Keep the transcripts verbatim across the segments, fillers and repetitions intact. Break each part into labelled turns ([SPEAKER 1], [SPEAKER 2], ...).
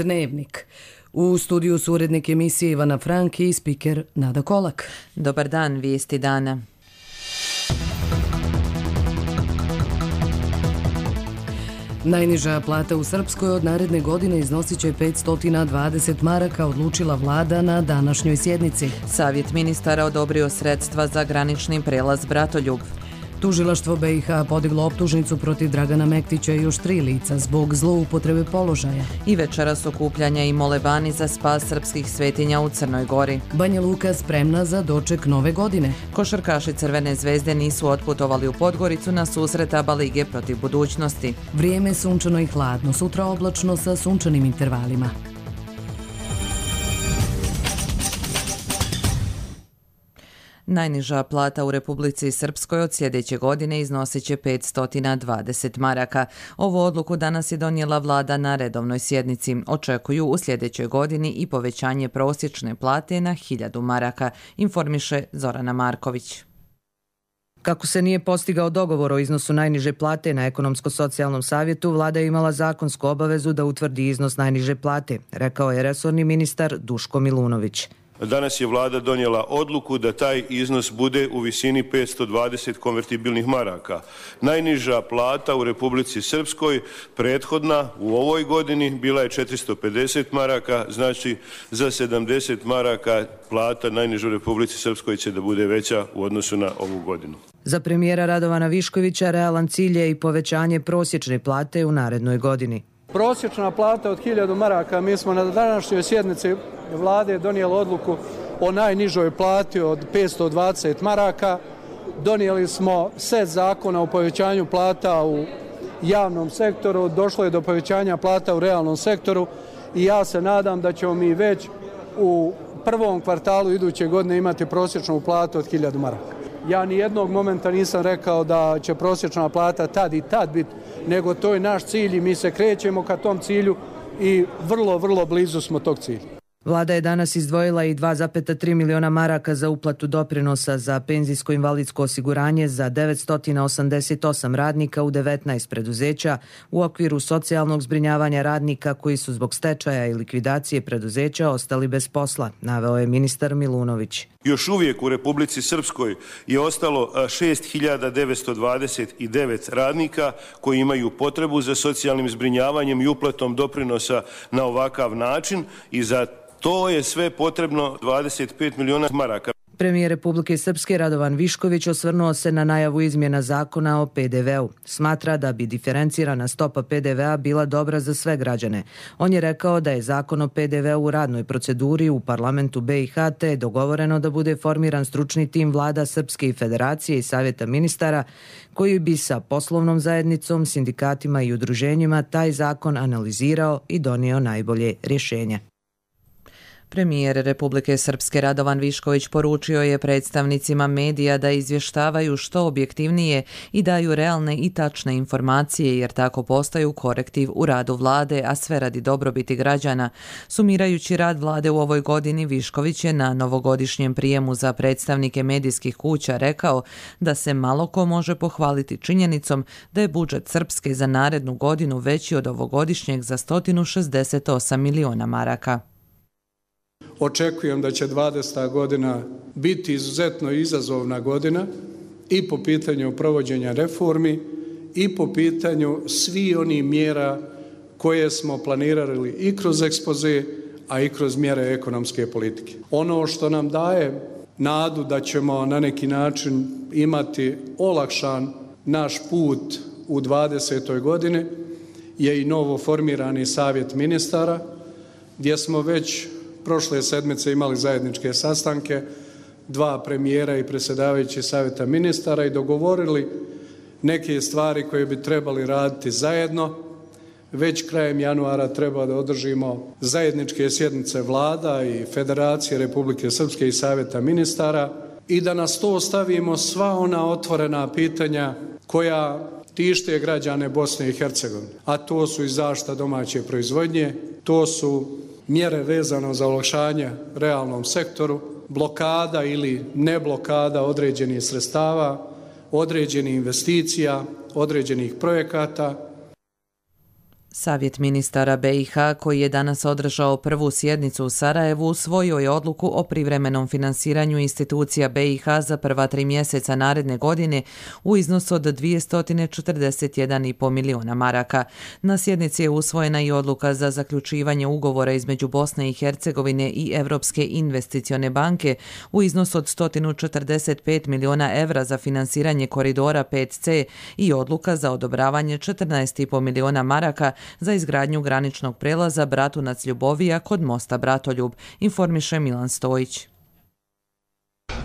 [SPEAKER 1] Dnevnik. U studiju su urednik emisije Ivana Frank i spiker Nada Kolak.
[SPEAKER 2] Dobar dan, vijesti dana.
[SPEAKER 1] Najniža plata u Srpskoj od naredne godine iznosit će petsto dvadeset maraka, odlučila vlada na današnjoj sjednici.
[SPEAKER 2] Savjet ministara odobrio sredstva za granični prelaz Bratoljub.
[SPEAKER 1] Tužilaštvo B i H podiglo optužnicu protiv Dragana Mektića i još tri lica zbog zloupotrebe položaja.
[SPEAKER 2] I večeras okupljanja i molebani za spas srpskih svetinja u Crnoj Gori.
[SPEAKER 1] Banja Luka spremna za doček nove godine.
[SPEAKER 2] Košarkaši Crvene zvezde nisu otputovali u Podgoricu na susret ABA lige protiv budućnosti.
[SPEAKER 1] Vrijeme sunčano i hladno, sutra oblačno sa sunčanim intervalima.
[SPEAKER 2] Najniža plata u Republici Srpskoj od sljedeće godine iznosit će petsto dvadeset maraka. Ovu odluku danas je donijela vlada na redovnoj sjednici. Očekuju u sljedećoj godini i povećanje prosječne plate na hiljadu maraka, informiše Zorana Marković.
[SPEAKER 3] Kako se nije postigao dogovor o iznosu najniže plate na ekonomsko-socijalnom savjetu, vlada je imala zakonsku obavezu da utvrdi iznos najniže plate, rekao je resorni ministar Duško Milunović.
[SPEAKER 4] Danas je vlada donijela odluku da taj iznos bude u visini petsto dvadeset konvertibilnih maraka. Najniža plata u Republici Srpskoj prethodna u ovoj godini bila je četiristo pedeset maraka, znači za sedamdeset maraka plata najniža u Republici Srpskoj će da bude veća u odnosu na ovu godinu.
[SPEAKER 3] Za premijera Radovana Viškovića realan cilj je i povećanje prosječne plate u narednoj godini.
[SPEAKER 5] Prosječna plata od hiljadu maraka, mi smo na današnjoj sjednici vlade donijeli odluku o najnižoj plati od petsto dvadeset maraka. Donijeli smo set zakona o povećanju plata u javnom sektoru, došlo je do povećanja plata u realnom sektoru i ja se nadam da ćemo mi već u prvom kvartalu iduće godine imati prosječnu platu od hiljadu maraka. Ja ni jednog momenta nisam rekao da će prosječna plata tad i tad biti, nego to je naš cilj i mi se krećemo ka tom cilju i vrlo, vrlo blizu smo tog cilja.
[SPEAKER 3] Vlada je danas izdvojila i dva zarez tri miliona maraka za uplatu doprinosa za penzijsko-invalidsko osiguranje za devetsto osamdeset osam radnika u devetnaest preduzeća u okviru socijalnog zbrinjavanja radnika koji su zbog stečaja i likvidacije preduzeća ostali bez posla, naveo je ministar Milunović.
[SPEAKER 4] Još uvijek u Republici Srpskoj je ostalo šest hiljada devetsto dvadeset devet radnika koji imaju potrebu za socijalnim zbrinjavanjem i uplatom doprinosa na ovakav način i za to je sve potrebno dvadeset pet miliona maraka.
[SPEAKER 3] Premijer Republike Srpske Radovan Višković osvrnuo se na najavu izmjena zakona o pe de veu. Smatra da bi diferencirana stopa pe de vea bila dobra za sve građane. On je rekao da je zakon o pe de veu u radnoj proceduri u parlamentu be i ha te je dogovoreno da bude formiran stručni tim vlada Srpske i Federacije i Savjeta ministara koji bi sa poslovnom zajednicom, sindikatima i udruženjima taj zakon analizirao i donio najbolje rješenje.
[SPEAKER 2] Premijer Republike Srpske Radovan Višković poručio je predstavnicima medija da izvještavaju što objektivnije i daju realne i tačne informacije jer tako postaju korektiv u radu vlade, a sve radi dobrobiti građana. Sumirajući rad vlade u ovoj godini, Višković je na novogodišnjem prijemu za predstavnike medijskih kuća rekao da se malo ko može pohvaliti činjenicom da je budžet Srpske za narednu godinu veći od ovogodišnjeg za sto šezdeset osam miliona maraka.
[SPEAKER 5] Očekujem da će dvadeseta godina biti izuzetno izazovna godina i po pitanju provođenja reformi i po pitanju svih onih mjera koje smo planirali i kroz ekspoze, a i kroz mjere ekonomske politike. Ono što nam daje nadu da ćemo na neki način imati olakšan naš put u dvadesetoj godini je i novo formirani savjet ministara gdje smo već prošle sedmice imali zajedničke sastanke, dva premijera i predsjedavajući savjeta ministara i dogovorili neke stvari koje bi trebali raditi zajedno. Već krajem januara treba da održimo zajedničke sjednice vlada i Federacije Republike Srpske i savjeta ministara i da na sto stavimo sva ona otvorena pitanja koja tište građane Bosne i Hercegovine, a to su i zaštita domaće proizvodnje, to su mjere vezano za olakšanje realnom sektoru, blokada ili ne blokada određenih sredstava, određenih investicija, određenih projekata.
[SPEAKER 2] Savjet ministara B i H, koji je danas održao prvu sjednicu u Sarajevu, usvojio je odluku o privremenom finansiranju institucija B i H za prva tri mjeseca naredne godine u iznosu od dvjesto četrdeset jedan zarez pet miliona maraka. Na sjednici je usvojena i odluka za zaključivanje ugovora između Bosne i Hercegovine i Europske investicione banke u iznosu od sto četrdeset pet miliona evra za finansiranje koridora pet C i odluka za odobravanje četrnaest zarez pet miliona maraka za izgradnju graničnog prelaza Bratunac-Ljubovija kod mosta Bratoljub, informiše Milan Stojić.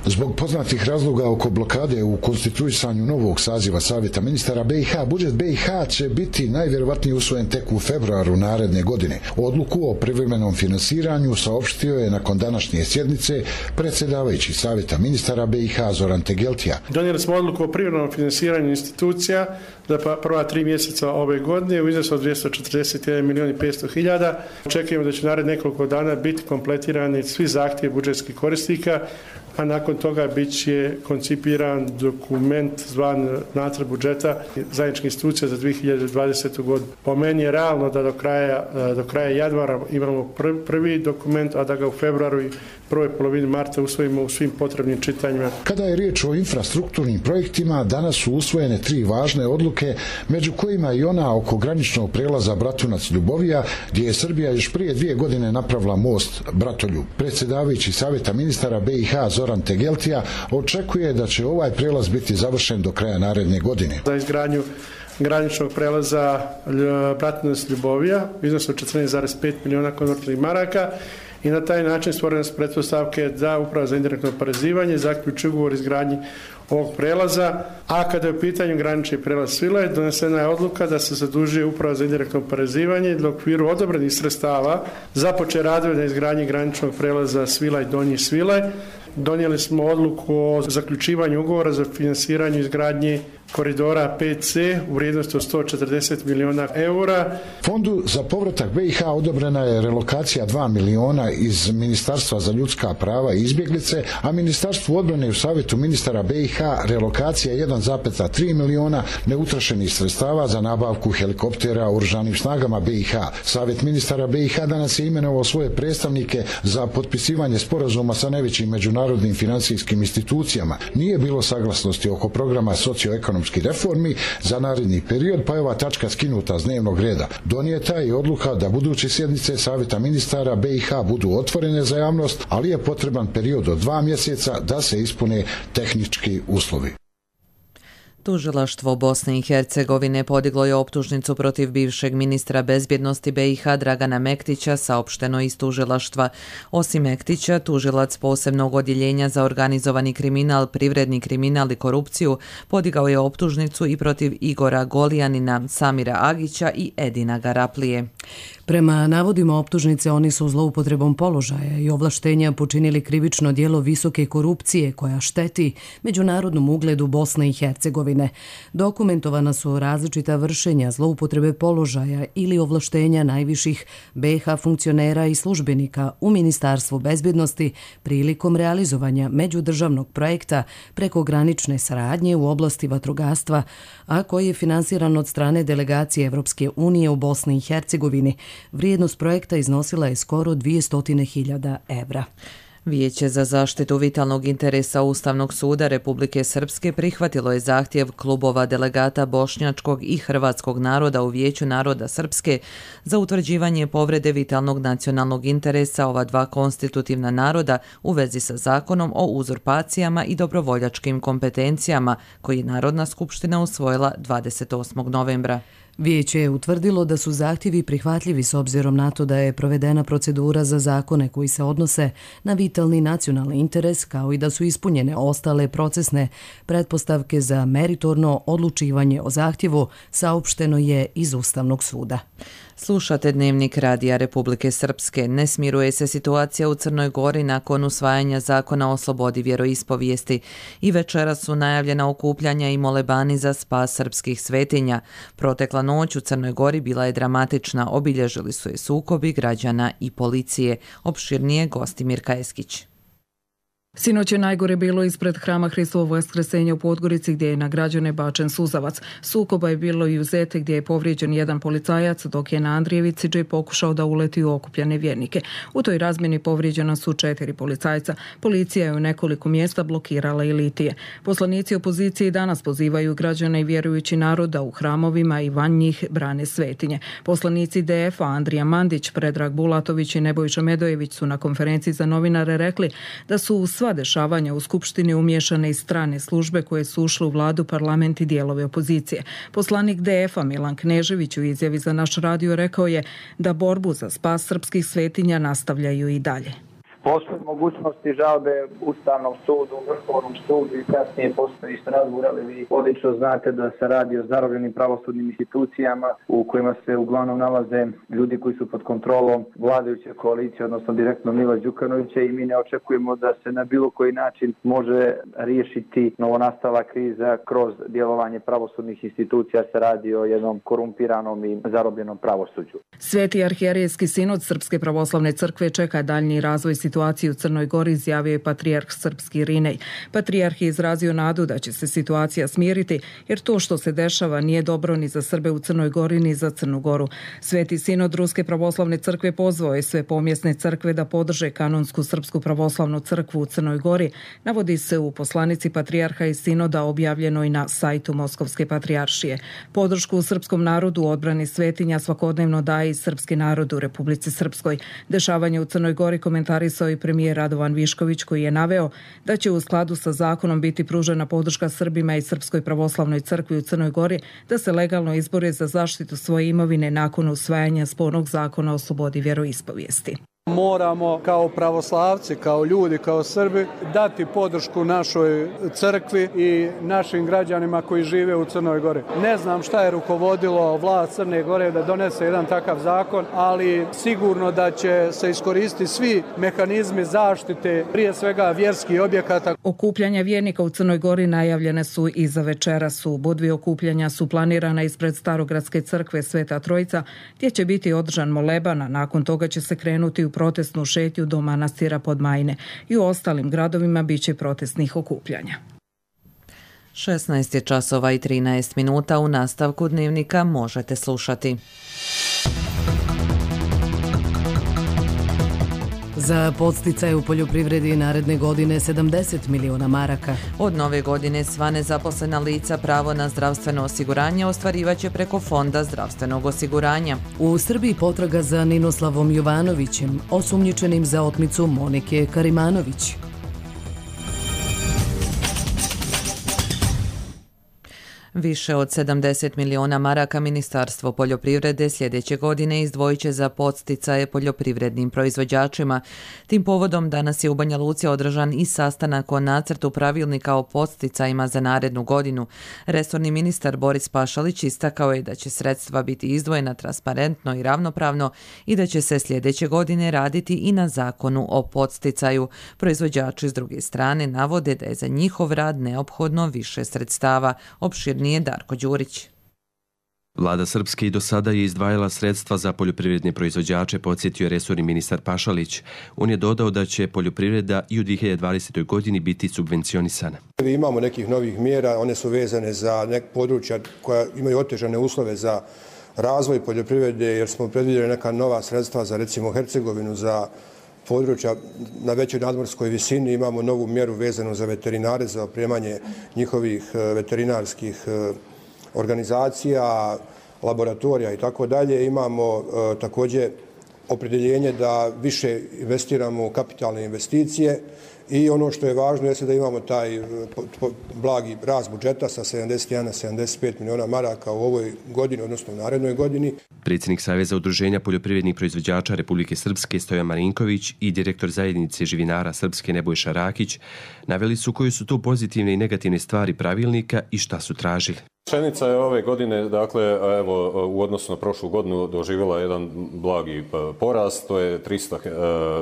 [SPEAKER 6] Zbog poznatih razloga oko blokade u konstituisanju novog saziva Savjeta ministara B i H, budžet B i H će biti najvjerovatnije usvojen tek u februaru naredne godine. Odluku o privremenom finansiranju saopštio je nakon današnje sjednice predsjedavajući Savjeta ministara B i H Zoran Tegeltija.
[SPEAKER 7] Donijeli smo odluku o privremenom finansiranju institucija za prva tri mjeseca ove godine u iznosu od dvjesto četrdeset jedan milijun i petsto hiljada. Očekujemo da će nared nekoliko dana biti kompletirani svi zahtjevi budžetskih korisnika, a nakon toga bit će koncipiran dokument zvan nacrt budžeta zajedničkih institucija za dvije hiljade dvadesetu godinu. Po meni je realno da do kraja, do kraja januara imamo prvi dokument, a da ga u februaru i prvoj polovini marta usvojimo u svim potrebnim čitanjima.
[SPEAKER 6] Kada je riječ o infrastrukturnim projektima, danas su usvojene tri važne odluke, među kojima i ona oko graničnog prelaza Bratunac-Ljubovija, gdje je Srbija još prije dvije godine napravila most Bratoljub. Predsjedavajući Savjeta ministara B i H Zoran Tegeltija očekuje da će ovaj prelaz biti završen do kraja naredne godine.
[SPEAKER 7] Za izgradnju graničnog prelaza Bratunac-Ljubovija u iznosu od četrnaest zarez pet miliona konvertibilnih maraka i na taj način stvorene su pretpostavke da Uprava za indirektno oporezivanje zaključi ugovor o izgradnji ovog prelaza, a kada je u pitanju granični prelaz Svilaj, donesena je odluka da se zadužuje Uprava za indirektno oporezivanje da u okviru odobrenih sredstava započne radove na izgradnji graničnog prelaza Svilaj-Donji Svilaj. Donijeli smo odluku o zaključivanju ugovora za finansiranje izgradnje koridora pet C u vrijednosti od sto četrdeset miliona eura.
[SPEAKER 6] Fondu za povratak B i H odobrena je relokacija dva miliona iz Ministarstva za ljudska prava i izbjeglice, a Ministarstvu odbrane u Savjetu ministara B i H relokacija jedan zarez tri miliona neutrošenih sredstava za nabavku helikoptera u oružanim snagama B i H. Savjet ministara B i H danas je imenovao svoje predstavnike za potpisivanje sporazuma sa najvećim međunarodnim financijskim institucijama. Nije bilo saglasnosti oko programa socioekonomskih reformi za naredni period, pa je ova tačka skinuta s dnevnog reda. Donijeta je odluka da buduće sjednice Savjeta ministara B i H budu otvorene za javnost, ali je potreban period od dva mjeseca da se ispune tehnički uslovi.
[SPEAKER 2] Tužilaštvo Bosne i Hercegovine podiglo je optužnicu protiv bivšeg ministra bezbjednosti B i H Dragana Mektića, saopšteno iz tužilaštva. Osim Mektića, tužilac posebnog odjeljenja za organizovani kriminal, privredni kriminal i korupciju podigao je optužnicu i protiv Igora Golijanina, Samira Agića i Edina Garaplije.
[SPEAKER 1] Prema navodima optužnice, oni su zloupotrebom položaja i ovlaštenja počinili krivično djelo visoke korupcije koja šteti međunarodnom ugledu Bosne i Hercegovine. Dokumentovana su različita vršenja zloupotrebe položaja ili ovlaštenja najviših B i H funkcionera i službenika u Ministarstvu bezbjednosti prilikom realizovanja međudržavnog projekta prekogranične saradnje u oblasti vatrogastva, a koji je finansiran od strane delegacije Evropske unije u Bosni i Hercegovini. Vrijednost projekta iznosila je skoro dvjesto hiljada evra.
[SPEAKER 2] Vijeće za zaštitu vitalnog interesa Ustavnog suda Republike Srpske prihvatilo je zahtjev klubova delegata bošnjačkog i hrvatskog naroda u Vijeću naroda Srpske za utvrđivanje povrede vitalnog nacionalnog interesa ova dva konstitutivna naroda u vezi sa zakonom o uzurpacijama i dobrovoljačkim kompetencijama koji je Narodna skupština usvojila dvadeset osmog novembra.
[SPEAKER 1] Vijeće je utvrdilo da su zahtjevi prihvatljivi s obzirom na to da je provedena procedura za zakone koji se odnose na vitalni nacionalni interes, kao i da su ispunjene ostale procesne pretpostavke za meritorno odlučivanje o zahtjevu, saopšteno je iz Ustavnog suda.
[SPEAKER 2] Slušate Dnevnik Radija Republike Srpske. Ne smiruje se situacija u Crnoj Gori nakon usvajanja zakona o slobodi vjeroispovijesti i večeras su najavljena okupljanja i molebani za spas srpskih svetinja. Protekla noć u Crnoj Gori bila je dramatična, obilježili su je sukobi građana i policije. Opširnije Gostimir Kajeskić.
[SPEAKER 8] Sinoć je najgore bilo ispred hrama Hristovog Vaskresenja u Podgorici gdje je na građane bačen suzavac. Sukoba je bilo i u Zete gdje je povrijeđen jedan policajac, dok je na Andrijevici Džej pokušao da uleti u okupljene vjernike. U toj razmjeni povrijeđena su četiri policajca. Policija je u nekoliko mjesta blokirala i litije. Poslanici opozicije danas pozivaju građane i vjerujući narod da u hramovima i van njih brane svetinje. Poslanici D F-a Andrija Mandić, Predrag Bulatović i Nebojša Medojević su na konferenciji za novinare rekli da su u sva dešavanja u Skupštini umiješane i strane službe koje su ušle u vladu, parlament i dijelove opozicije. Poslanik D F-a Milan Knežević u izjavi za naš radio rekao je da borbu za spas srpskih svetinja nastavljaju i dalje.
[SPEAKER 9] Postoji mogućnosti žalbe Ustavnom sudu, Vrhovnom sudu i kasnije postoji Strasbourg, ali vi odlično znate da se radi o zarobljenim pravosudnim institucijama u kojima se uglavnom nalaze ljudi koji su pod kontrolom vladajuće koalicije, odnosno direktno Mila Đukanovića, i mi ne očekujemo da se na bilo koji način može riješiti novonastala kriza kroz djelovanje pravosudnih institucija. Se radi o jednom korumpiranom i zarobljenom pravosuđu.
[SPEAKER 8] Sveti arhijerejski sinod Srpske pravoslavne crkve čeka daljnji razvoj situacije u Crnoj Gori, izjavio je patrijarh srpski Irinej. Patrijarh je izrazio nadu da će se situacija smiriti, jer to što se dešava nije dobro ni za Srbe u Crnoj Gori ni za Crnu Goru. Sveti sinod Ruske pravoslavne crkve pozvao je sve pomjesne crkve da podrže kanonsku Srpsku pravoslavnu crkvu u Crnoj Gori, navodi se u poslanici patrijarha i sinoda objavljenoj na sajtu Moskovske patrijaršije. Podršku u srpskom narodu u odbrani svetinja svakodnevno daje i srpski narod u Republici Srpskoj. Dešavanje u Crnoj Gori komentarisao i premijer Radovan Višković, koji je naveo da će u skladu sa zakonom biti pružena podrška Srbima i Srpskoj pravoslavnoj crkvi u Crnoj Gori da se legalno izbore za zaštitu svoje imovine nakon usvajanja spornog zakona o slobodi vjeroispovijesti.
[SPEAKER 5] Moramo kao pravoslavci, kao ljudi, kao Srbi dati podršku našoj crkvi i našim građanima koji žive u Crnoj Gori. Ne znam šta je rukovodilo vlast Crne Gore da donese jedan takav zakon, ali sigurno da će se iskoristiti svi mehanizmi zaštite, prije svega vjerskih objekata.
[SPEAKER 8] Okupljanja vjernika u Crnoj Gori najavljene su i za večeras. U Budvi okupljanja su planirana ispred Starogradske crkve Sveta Trojica, gdje će biti održan moleban, a nakon toga će se krenuti u protestnu šetnju do manastira Podmajne. I u ostalim gradovima bit će protestnih okupljanja.
[SPEAKER 2] šesnaest je časova i trinaest minuta. U nastavku dnevnika možete slušati.
[SPEAKER 1] Za podsticaj u poljoprivredi naredne godine sedamdeset miliona maraka.
[SPEAKER 2] Od nove godine sva nezaposlena lica pravo na zdravstveno osiguranje ostvarivaće preko Fonda zdravstvenog osiguranja.
[SPEAKER 1] U Srbiji potraga za Ninoslavom Jovanovićem, osumnjičenim za otmicu Monike Karimanović.
[SPEAKER 2] Više od sedamdeset miliona maraka Ministarstvo poljoprivrede sljedeće godine izdvojit će za podsticaje poljoprivrednim proizvođačima. Tim povodom danas je u Banja Luci održan i sastanak o nacrtu pravilnika o podsticajima za narednu godinu. Resorni ministar Boris Pašalić istakao je da će sredstva biti izdvojena transparentno i ravnopravno i da će se sljedeće godine raditi i na zakonu o podsticaju. Proizvođači s druge strane navode da je za njihov rad neophodno više sredstava. Opširnije nije Darko Đurić.
[SPEAKER 10] Vlada Srpske i do sada je izdvajala sredstva za poljoprivredne proizvođače, podsjetio je resorni ministar Pašalić. On je dodao da će poljoprivreda i u dvije hiljade dvadesetoj. godini biti subvencionisana.
[SPEAKER 11] Imamo nekih novih mjera, one su vezane za nek područja koja imaju otežane uslove za razvoj poljoprivrede, jer smo predvidjeli neka nova sredstva za recimo Hercegovinu, za područja na većoj nadmorskoj visini. Imamo novu mjeru vezanu za veterinare, za opremanje njihovih veterinarskih organizacija, laboratorija i tako dalje. Imamo također opredjeljenje da više investiramo u kapitalne investicije i ono što je važno jeste da imamo taj blagi rast budžeta sa sedamdeset jedan na sedamdeset pet miliona maraka u ovoj godini, odnosno u narednoj godini.
[SPEAKER 10] Predsjednik Saveza udruženja poljoprivrednih proizvođača Republike Srpske Stojan Marinković i direktor zajednice živinara Srpske Nebojša Rakić naveli su koje su tu pozitivne i negativne stvari pravilnika i šta su tražili.
[SPEAKER 12] Pšenica je ove godine, dakle, evo, u odnosu na prošlu godinu doživjela jedan blagi porast, to je tristo,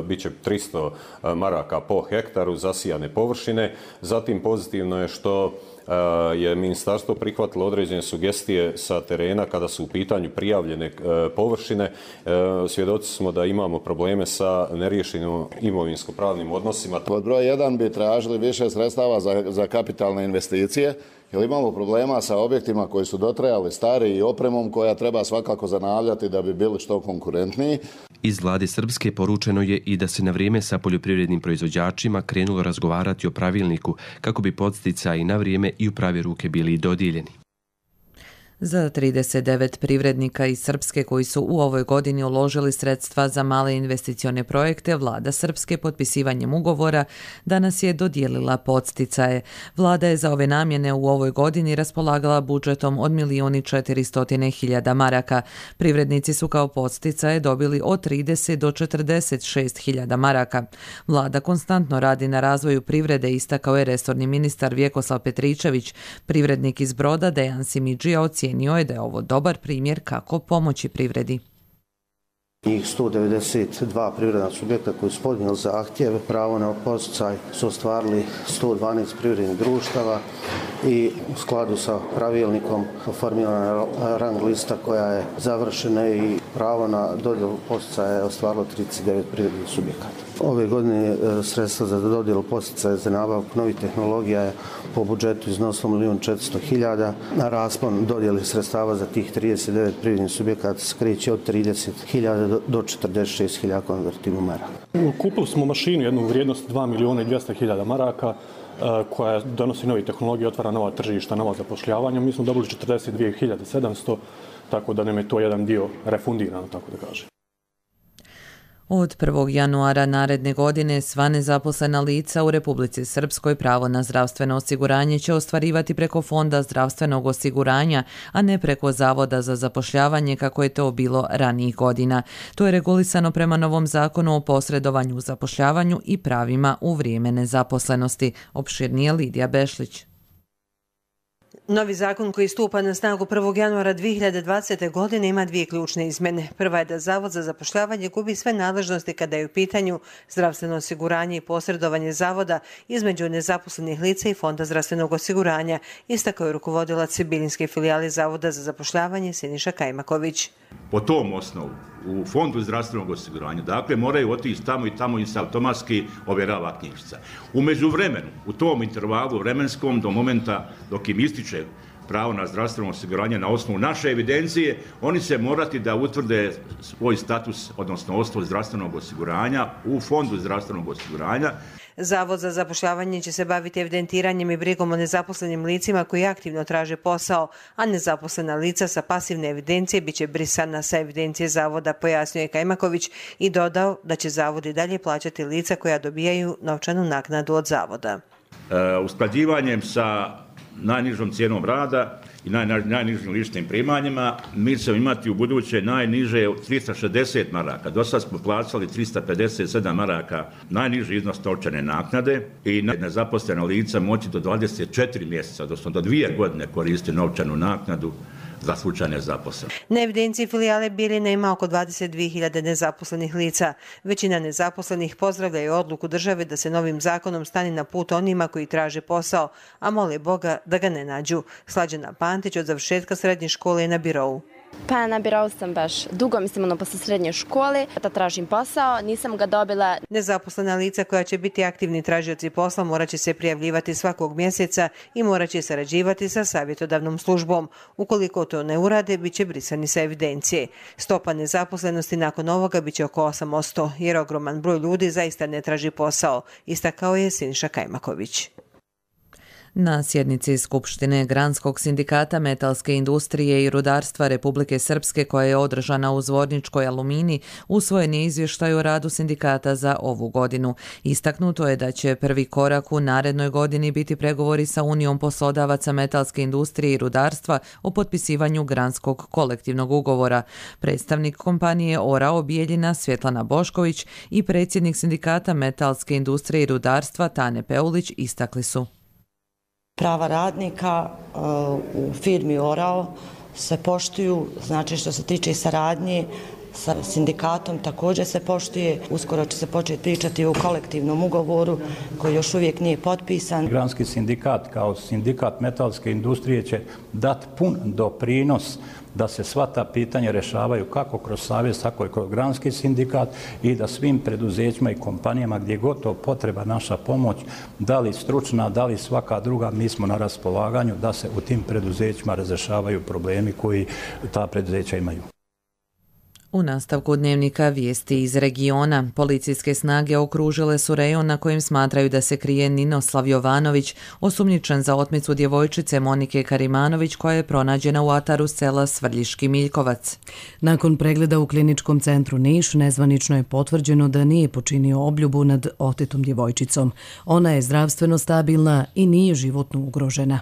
[SPEAKER 12] bit će tristo maraka po hektaru zasijane površine. Zatim pozitivno je što je ministarstvo prihvatilo određene sugestije sa terena kada su u pitanju prijavljene površine. Svjedoci smo da imamo probleme sa neriješenim imovinsko-pravnim odnosima.
[SPEAKER 13] Pod broj jedan bi tražili više sredstava za, za kapitalne investicije, jer imamo problema sa objektima koji su dotrajali stari i opremom koja treba svakako zanavljati da bi bili što konkurentniji.
[SPEAKER 10] Iz vlade Srpske poručeno je i da se na vrijeme sa poljoprivrednim proizvođačima krenulo razgovarati o pravilniku kako bi podsticaji na vrijeme i u prave ruke bili dodijeljeni.
[SPEAKER 2] Za trideset devet privrednika iz Srpske koji su u ovoj godini uložili sredstva za male investicione projekte, vlada Srpske potpisivanjem ugovora danas je dodijelila podsticaje. Vlada je za ove namjene u ovoj godini raspolagala budžetom od milijun i četiristo hiljada maraka. Privrednici su kao podsticaje dobili od trideset do četrdeset šest hiljada maraka. Vlada konstantno radi na razvoju privrede, istakao je resorni ministar Vjekoslav Petričević. Privrednik iz Broda Dejan Simidžija ocijenio je da je ovo dobar primjer kako pomoći privredi.
[SPEAKER 14] Njih sto devedeset dva privredna subjekta koji su podnijeli zahtjev, pravo na podsticaj su ostvarili sto dvanaest privrednih društava i u skladu sa pravilnikom formirana rang lista koja je završena i pravo na dodjelu podsticaja je ostvarilo trideset devet privrednih subjekata. Ove godine sredstva za dodjelu podsticaja za nabavku novih tehnologija je po budžetu iznosilo milijun četiristo hiljada. Na raspon dodjeli sredstava za tih trideset devet privrednih subjekata skreće od trideset hiljada do četrdeset šest hiljada konvertibilnih maraka.
[SPEAKER 15] Kupili smo mašinu jednu vrijednost dva milijuna i dvjesto hiljada maraka koja donosi nove tehnologije, otvara nova tržišta, nova zapošljavanja. Mi smo dobili četrdeset dvije hiljade sedamsto, tako da nam je to jedan dio refundirano, tako da kažem.
[SPEAKER 2] Od prvog januara naredne godine sva nezaposlena lica u Republici Srpskoj pravo na zdravstveno osiguranje će ostvarivati preko Fonda zdravstvenog osiguranja, a ne preko Zavoda za zapošljavanje kako je to bilo ranijih godina. To je regulisano prema novom zakonu o posredovanju u zapošljavanju i pravima u vrijeme nezaposlenosti. Opširnije Lidija Bešlić.
[SPEAKER 16] Novi zakon koji stupa na snagu prvog januara dvije hiljade dvadesete. godine ima dvije ključne izmjene. Prva je da Zavod za zapošljavanje gubi sve nadležnosti kada je u pitanju zdravstveno osiguranje i posredovanje zavoda između nezaposlenih lica i Fonda zdravstvenog osiguranja, istakao je rukovodilac Bilinske filijale Zavoda za zapošljavanje Siniša Kajmaković.
[SPEAKER 17] Po tom osnovu u Fondu zdravstvenog osiguranja, dakle, moraju otići tamo i tamo i se automatski ovjerava knjižica. U međuvremenu, u tom intervalu vremenskom do momenta dok im ističe pravo na zdravstveno osiguranje na osnovu naše evidencije, oni će morati da utvrde svoj status, odnosno osnov zdravstvenog osiguranja u Fondu zdravstvenog osiguranja.
[SPEAKER 16] Zavod za zapošljavanje će se baviti evidentiranjem i brigom o nezaposlenim licima koji aktivno traže posao, a nezaposlena lica sa pasivne evidencije biće brisana sa evidencije zavoda, pojasnio je Kajmaković i dodao da će zavod i dalje plaćati lica koja dobijaju novčanu naknadu od zavoda.
[SPEAKER 17] E, usklađivanjem sa najnižom cijenom rada i naj, naj, najnižim ličnim primanjima, mi ćemo imati u buduće najniže tristo šezdeset maraka. Do sad smo plaćali tristo pedeset sedam maraka najniži iznos novčane naknade i nezaposlena lica moći do dvadeset četiri mjeseca, odnosno do dvije godine koristiti novčanu naknadu za slučaj nezaposlenosti.
[SPEAKER 16] Na evidenciji filijale Bijeljina ima oko dvadeset dvije hiljade nezaposlenih lica. Većina nezaposlenih pozdravljaju odluku države da se novim zakonom stane na put onima koji traže posao, a mole Boga da ga ne nađu. Slađana Pantić od završetka srednje škole je na birou.
[SPEAKER 18] Pa na birou sam baš dugo, mislim ono posle srednje škole, da tražim posao, nisam ga dobila.
[SPEAKER 16] Nezaposlena lica koja će biti aktivni tražioci posla morat će se prijavljivati svakog mjeseca i morat će sarađivati sa savjetodavnom službom. Ukoliko to ne urade, bit će brisani sa evidencije. Stopa nezaposlenosti nakon ovoga bit će oko osam posto, jer ogroman broj ljudi zaista ne traži posao, istakao je Siniša Kajmaković.
[SPEAKER 2] Na sjednici Skupštine Granskog sindikata metalske industrije i rudarstva Republike Srpske koja je održana u Zvorničkoj Alumini, usvojen je izvještaj o radu sindikata za ovu godinu. Istaknuto je da će prvi korak u narednoj godini biti pregovori sa Unijom poslodavaca metalske industrije i rudarstva o potpisivanju Granskog kolektivnog ugovora. Predstavnik kompanije Orao Bijeljina Svjetlana Bošković i predsjednik sindikata metalske industrije i rudarstva Tane Peulić istakli su.
[SPEAKER 19] prava radnika u firmi Orao se poštuju, znači što se tiče saradnje sa sindikatom također se poštuje. Uskoro će se početi pričati o kolektivnom ugovoru koji još uvijek nije potpisan.
[SPEAKER 20] Granski sindikat kao sindikat metalske industrije će dati pun doprinos da se sva ta pitanja rješavaju kako kroz savez, tako i kroz granski sindikat i da svim preduzećima i kompanijama gdje god to potreba naša pomoć, da li stručna, da li svaka druga, mi smo na raspolaganju da se u tim preduzećima razrešavaju problemi koji ta preduzeća imaju.
[SPEAKER 2] U nastavku dnevnika vijesti iz regiona. Policijske snage okružile su rejon na kojem smatraju da se krije Ninoslav Jovanović, osumnjičen za otmicu djevojčice Monike Karimanović koja je pronađena u ataru sela Svrljiški Miljkovac.
[SPEAKER 1] Nakon pregleda u kliničkom centru Niš, nezvanično je potvrđeno da nije počinio obljubu nad otetom djevojčicom. Ona je zdravstveno stabilna i nije životno ugrožena.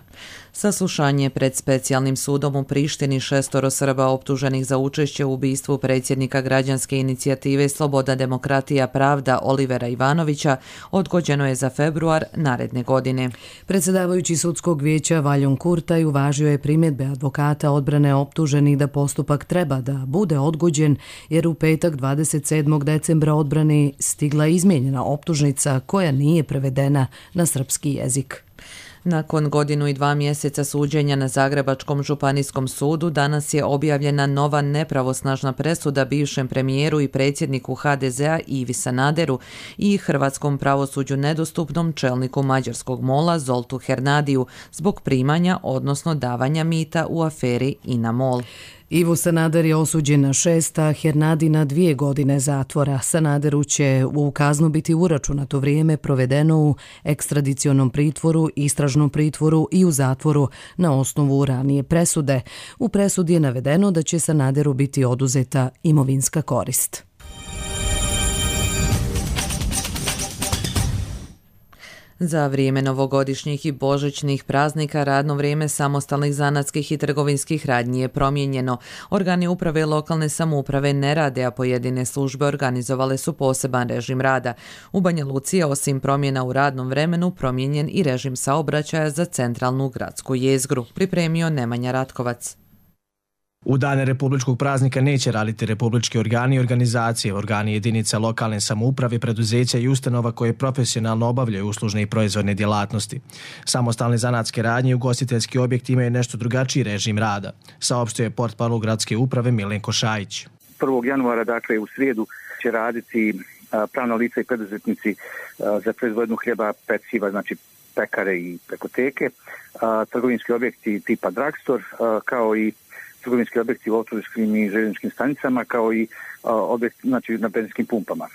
[SPEAKER 2] Saslušanje pred specijalnim sudom u Prištini šestoro Srba optuženih za učešće u ubistvu predsjednika građanske inicijative Sloboda, demokratija, pravda Olivera Ivanovića odgođeno je za februar naredne godine.
[SPEAKER 1] Predsjedavajući sudskog vijeća Valjon Kurtaj uvažio je primjedbe advokata odbrane optuženih da postupak treba da bude odgođen jer u petak dvadeset sedmog decembra odbrani stigla izmijenjena optužnica koja nije prevedena na srpski jezik.
[SPEAKER 2] Nakon godinu i dva mjeseca suđenja na Zagrebačkom županijskom sudu, danas je objavljena nova nepravosnažna presuda bivšem premijeru i predsjedniku ha de zea Ivi Sanaderu i hrvatskom pravosuđu nedostupnom čelniku mađarskog mola Zoltu Hernadiju zbog primanja, odnosno davanja mita u aferi INA MOL.
[SPEAKER 1] Ivo Sanader je osuđen na šest, a Hernadi na dvije godine zatvora. Sanaderu će u kaznu biti uračunato vrijeme provedeno u ekstradicionom pritvoru, istražnom pritvoru i u zatvoru na osnovu ranije presude. U presudi je navedeno da će Sanaderu biti oduzeta imovinska korist.
[SPEAKER 2] Za vrijeme novogodišnjih i božićnih praznika radno vrijeme samostalnih zanatskih i trgovinskih radnji je promijenjeno. Organi uprave lokalne samouprave ne rade, a pojedine službe organizovale su poseban režim rada. U Banja Luci je osim promjena u radnom vremenu promijenjen i režim saobraćaja za centralnu gradsku jezgru, pripremio Nemanja Ratkovac.
[SPEAKER 21] U dane republičkog praznika neće raditi republički organi i organizacije, organi jedinica lokalne samouprave, preduzeća i ustanova koje profesionalno obavljaju uslužne i proizvodne djelatnosti. Samostalne zanatske radnje i ugostiteljski objekti imaju nešto drugačiji režim rada, saopštio je portparol gradske uprave Milenko Šajić.
[SPEAKER 22] prvog januara, dakle u srijedu, će raditi pravna lica i preduzetnici za proizvodnju hljeba, peciva, znači pekare i pekoteke, trgovinski objekti tipa drugstore, kao i trgovinski objekti u autobuskim i željezničkim stanicama, kao i objekti, znači, na benzinskim pumpama.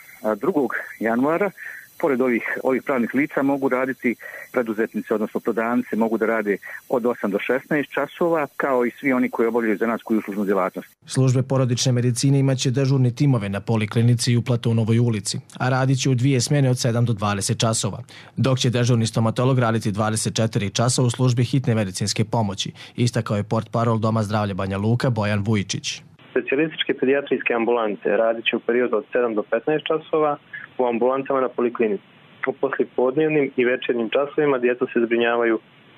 [SPEAKER 22] drugog januara, pored ovih, ovih pravnih lica, mogu raditi preduzetnici, odnosno prodavnice, mogu da rade od osam do šesnaest časova, kao i svi oni koji obavljaju zanatsku i uslužnu djelatnost.
[SPEAKER 21] Službe porodične medicine imaće dežurni timove na poliklinici i u Platonovoj ulici, a radit će u dvije smjene od sedam do dvadeset časova, dok će dežurni stomatolog raditi dvadeset četiri časa u službi hitne medicinske pomoći, istakao je portparol Doma zdravlja Banja Luka Bojan Vujičić.
[SPEAKER 23] Specijalističke pedijatrijske ambulante radit će u periodu od sedam do petnaest časova u ambulantama na poliklinici. U poslijepodnevnim i večernjim časovima djeca se zbrinjavaju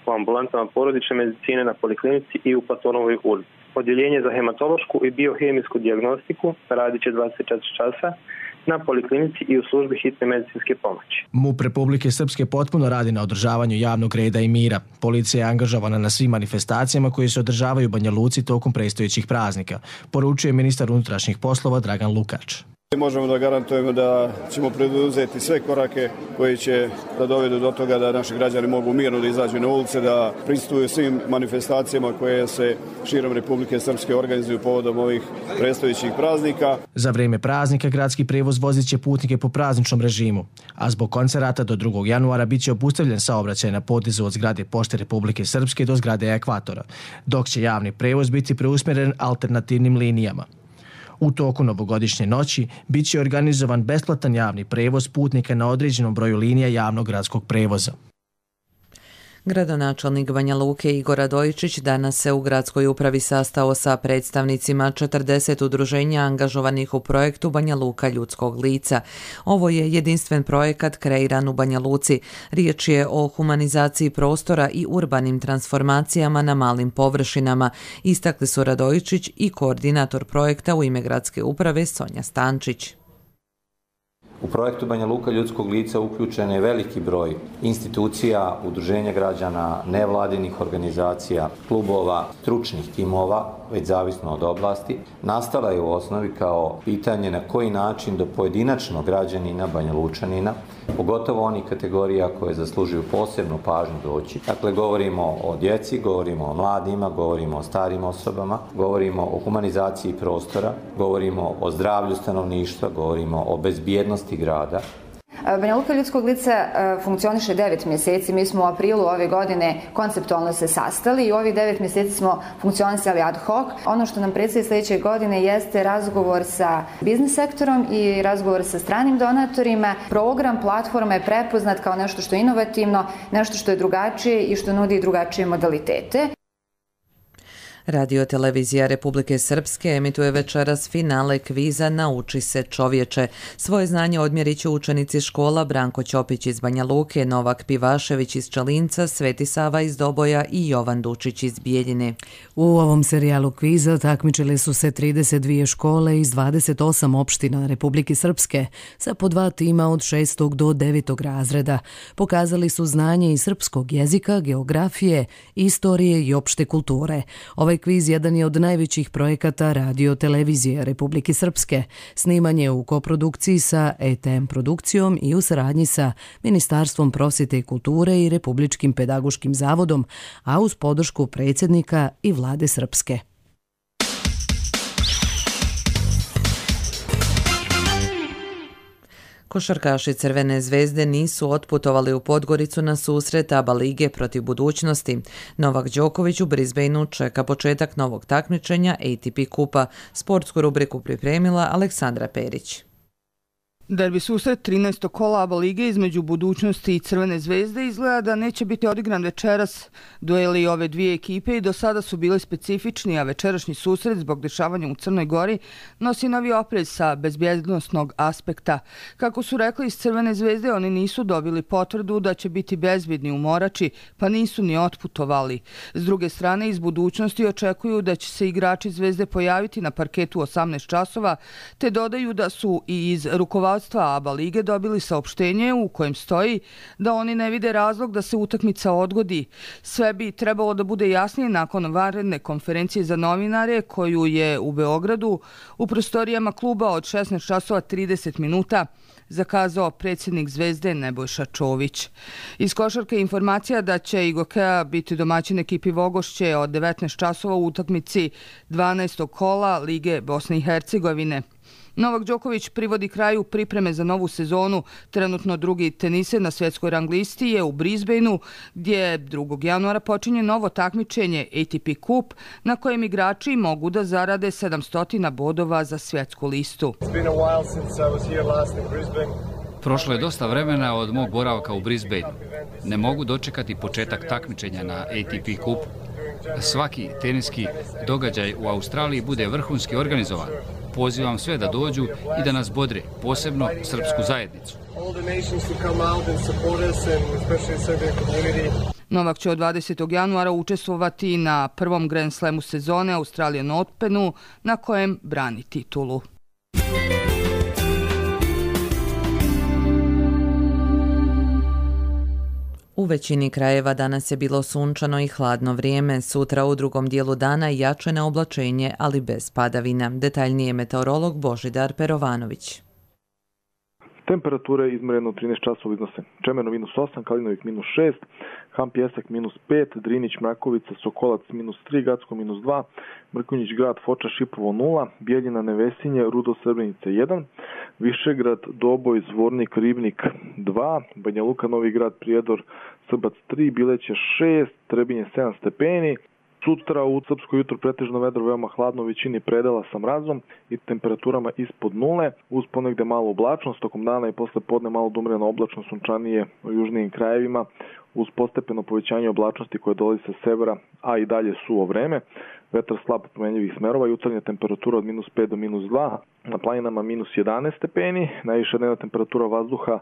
[SPEAKER 23] u ambulantama porodične medicine na poliklinici i u Platonovoj ulici. Odjeljenje za hematološku i biohemijsku dijagnostiku radit će dvadeset četiri časa na poliklinici i u službi hitne medicinske pomoći.
[SPEAKER 21] MUP Republike Srpske potpuno radi na održavanju javnog reda i mira. Policija je angažovana na svim manifestacijama koje se održavaju u Banja Luci tokom predstojećih praznika, poručuje ministar unutrašnjih poslova Dragan Lukač.
[SPEAKER 24] Možemo da garantujemo da ćemo preduzeti sve korake koji će da dovedu do toga da naši građani mogu mirno da izađu na ulice, da prisustuju svim manifestacijama koje se širom Republike Srpske organizuju povodom ovih predstojećih praznika.
[SPEAKER 21] Za vrijeme praznika gradski prevoz vozit će putnike po prazničnom režimu, a zbog koncerata do drugog januara bit će obustavljen saobraćaj na potezu od zgrade Pošte Republike Srpske do zgrade Ekvatora, dok će javni prevoz biti preusmjeren alternativnim linijama. U toku novogodišnje noći bit će organizovan besplatan javni prevoz putnika na određenom broju linija javnog gradskog prevoza.
[SPEAKER 2] Gradonačelnik Banja Luke Igor Radojičić danas se u gradskoj upravi sastao sa predstavnicima četrdeset udruženja angažovanih u projektu Banja Luka ljudskog lica. Ovo je jedinstven projekat kreiran u Banja Luci. Riječ je o humanizaciji prostora i urbanim transformacijama na malim površinama, istakli su Radojičić i koordinator projekta u ime gradske uprave Sonja Stančić.
[SPEAKER 3] U projektu Banja Luka ljudskog lica uključen je veliki broj institucija, udruženja građana, nevladinih organizacija, klubova, stručnih timova, već zavisno od oblasti. Nastala je u osnovi kao pitanje na koji način do pojedinačnog građanina, Banja Lučanina, pogotovo onih kategorija koje zaslužuju posebnu pažnju doći. Dakle, govorimo o djeci, govorimo o mladima, govorimo o starim osobama, govorimo o humanizaciji prostora, govorimo o zdravlju stanovništva, govorimo o bezbjednosti grada.
[SPEAKER 4] Banja Luka ljudskog lica funkcioniše devet mjeseci. Mi smo u aprilu ove godine konceptualno se sastali i ovih devet mjeseci smo funkcionisali ad hoc. Ono što nam predstoji sljedeće godine jeste razgovor sa biznis sektorom i razgovor sa stranim donatorima. Program, platforma je prepoznat kao nešto što je inovativno, nešto što je drugačije i što nudi drugačije modalitete.
[SPEAKER 2] Radio televizija Republike Srpske emituje večeras finale kviza Nauči se čovječe. Svoje znanje odmjerit će učenici škola Branko Ćopić iz Banja Luke, Novak Pivašević iz Čalinca, Sveti Sava iz Doboja i Jovan Dučić iz Bijeljine.
[SPEAKER 1] U ovom serijalu kviza takmičile su se trideset dvije škole iz dvadeset osam opština Republike Srpske sa po dva tima od šestog do devetog razreda. Pokazali su znanje iz srpskog jezika, geografije, istorije i opšte kulture. Ovaj kviz jedan je od najvećih projekata radio televizije Republike Srpske. Snimanje u koprodukciji sa E T M produkcijom i u saradnji sa Ministarstvom prosvjete i kulture i Republičkim pedagoškim zavodom, a uz podršku predsjednika i vlade Srpske.
[SPEAKER 2] Košarkaši Crvene zvezde nisu otputovali u Podgoricu na susret A B A lige protiv budućnosti. Novak Đoković u Brisbaneu čeka početak novog takmičenja A T P kupa. Sportsku rubriku pripremila Aleksandra Perić.
[SPEAKER 6] Derbi susret trinaestog kola A B A lige između budućnosti i Crvene zvezde izgleda da neće biti odigran večeras. Dueli ove dvije ekipe i do sada su bili specifični, a večerašnji susret zbog dešavanja u Crnoj Gori nosi novi oprez sa bezbjednosnog aspekta. Kako su rekli iz Crvene zvezde, oni nisu dobili potvrdu da će biti bezbjedni u Morači, pa nisu ni otputovali. S druge strane, iz budućnosti očekuju da će se igrači zvezde pojaviti na parketu osamnaest časova, te dodaju da su i iz rukovodstva A B A lige dobili saopštenje u kojem stoji da oni ne vide razlog da se utakmica odgodi. Sve bi trebalo da bude jasnije nakon vanredne konferencije za novinare koju je u Beogradu u prostorijama kluba od šesnaest časova trideset minuta zakazao predsjednik Zvezde Nebojša Čović. Iz košarke informacija da će Igokea biti domaćin ekipi Vogošće od devetnaest časova u utakmici dvanaestog kola Lige Bosne i Hercegovine. Novak Đoković privodi kraju pripreme za novu sezonu. Trenutno drugi teniser na svjetskoj rang listi je u Brisbaneu, gdje drugog januara počinje novo takmičenje A T P kup, na kojem igrači mogu da zarade sedamsto bodova za svjetsku listu.
[SPEAKER 7] Prošlo je dosta vremena od mog boravka u Brisbaneu. Ne mogu dočekati početak takmičenja na A T P kup. Svaki teniski događaj u Australiji bude vrhunski organizovan. Pozivam sve da dođu i da nas bodre, posebno srpsku zajednicu.
[SPEAKER 6] Novak će od dvadesetog januara učestvovati na prvom Grand Slamu sezone Australian Openu, na kojem brani titulu.
[SPEAKER 2] U većini krajeva danas je bilo sunčano i hladno vrijeme. Sutra u drugom dijelu dana jače na oblačenje, ali bez padavina. Detaljnije meteorolog Božidar Perovanović.
[SPEAKER 25] Temperature izmjereno trinaest časova iznose Čemerno minus osam, Kalinovik minus šest, Ham Pjesak minus pet, Drinić, Mrakovica, Sokolac minus tri, Gacko minus dva, Mrkonjić grad, Foča, Šipovo nula, Bijeljina, Nevesinje, Rudo, Srbenica jedan, Višegrad, Doboj, Zvornik, Ribnik dva, Banja Luka, Novi grad, Prijedor, Srbac tri, Bileće šest, Trebinje sedam stepeni, Sutra u srpsko jutro pretežno vedro, veoma hladno u većini predela sa mrazom i temperaturama ispod nule, uz ponegde malo oblačnost, tokom dana i posle podne malo dumreno oblačno sunčanije u južnijim krajevima, uz postepeno povećanje oblačnosti koje dolazi sa severa, a i dalje suvo vreme. Vetar slab promenljivih smerova, jutarnja temperatura od minus pet do minus dva, na planinama minus jedanaest stepeni, najviša dnevna temperatura vazduha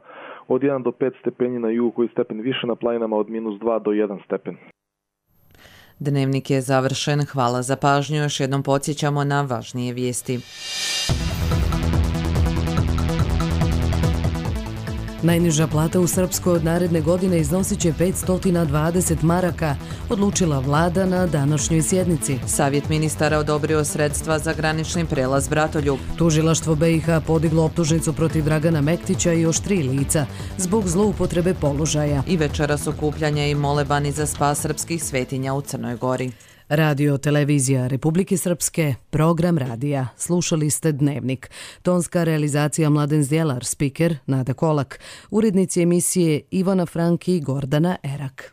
[SPEAKER 25] od jedan do pet stepeni na jugu, koji stepen više, na planinama od minus dva do jedan stepen.
[SPEAKER 2] Dnevnik je završen. Hvala za pažnju. Još jednom podsjećamo na važnije vijesti.
[SPEAKER 1] Najniža plata u Srpskoj od naredne godine iznosit će petsto dvadeset maraka, odlučila vlada na današnjoj sjednici.
[SPEAKER 2] Savjet ministara odobrio sredstva za granični prelaz Bratoljub.
[SPEAKER 1] Tužilaštvo B i H podiglo optužnicu protiv Dragana Mektića i još tri lica zbog zloupotrebe položaja.
[SPEAKER 2] I večeras okupljanja i molebani za spas srpskih svetinja u Crnoj Gori.
[SPEAKER 1] Radio Televizija Republike Srpske, program radija. Slušali ste Dnevnik. Tonska realizacija Mladen Zdjelar, spiker Nada Kolak. Urednici emisije Ivana Franki i Gordana Erak.